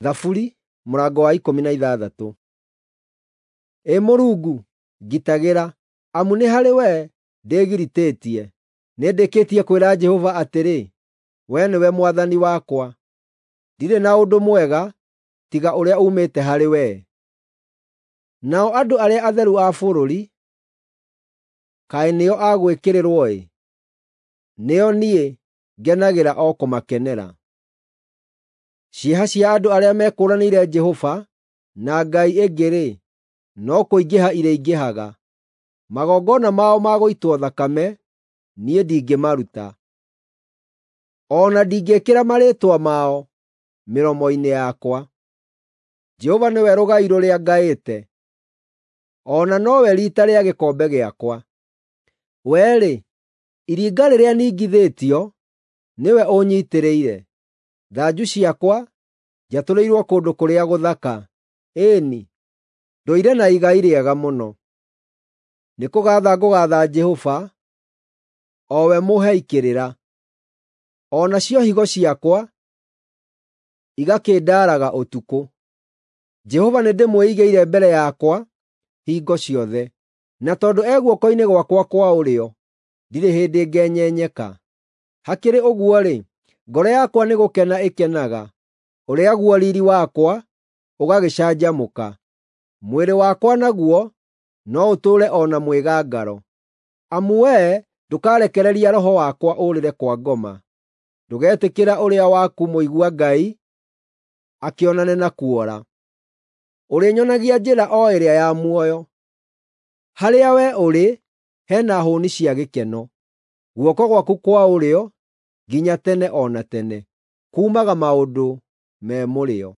Thaburi mũrango wa 16. Ĩ Mũrungu, ngitagĩra, amu nĩ harĩ wee ndĩgiritĩtie. Nĩndĩkĩtie kwĩra Jehova atĩrĩ, “Wee nĩwe Mwathani wakwa; ndirĩ na ũndũ mwega tiga ũrĩa uumĩte harĩ wee.” Nao andũ arĩa atheru a bũrũri, kaĩ nĩo a gwĩkĩrĩrwo-ĩ! Nĩo niĩ ngenagĩra o kũmakenera. Ciĩha cia andũ arĩa mekũũranĩire Jehova na ngai ĩngĩ-rĩ, no kũingĩha irĩingĩhaga. Magongona mao ma gũitwo thakame niĩ ndingĩmaruta, o na ndingĩĩkĩra marĩĩtwa mao mĩromo-inĩ yakwa. Jehova nĩwe rũgai rũrĩa ngaĩte, o na nowe riita rĩa gĩkombe gĩakwa. Wee-rĩ, iringa rĩrĩa ningithĩtio, nĩwe ũnyiitĩrĩire. Thanju ciakwa njatũrĩirwo kũndũ kũrĩa gũthaka; ĩĩ-ni, ndũire na igai rĩega mũno. Nĩkũgaatha ngũgaatha Jehova, o we mũhei kĩrĩra; o nacio higo ciakwa igakĩndaaraga ũtukũ. Jehova nĩndĩmwĩigĩire mbere yakwa hingo ciothe, na tondũ e guoko-inĩ gwakwa kwa ũrĩo, ndirĩ hĩndĩ ngenyenyeka. Hakĩrĩ ũguo-rĩ, ngoro yakwa nĩgũkena ĩkenaga, ũrĩa guo riiri wakwa ũgagĩcanjamũka. Mwĩrĩ wakwa naguo no ũtũũre o na mwĩgangaro, amu wee ndũkarekereria roho wakwa ũũrĩre kwa ngoma, ndũgetĩkĩra ũrĩa waku mũigua Ngai akĩonane na kuora. Ũrĩnyonagia njĩra o ĩrĩa ya muoyo. Harĩa wee ũrĩ he na hũũni cia gĩkeno, guoko gwaku kwa ũrĩo nginya tene o na tene kuumaga maũndũ me mũrĩo.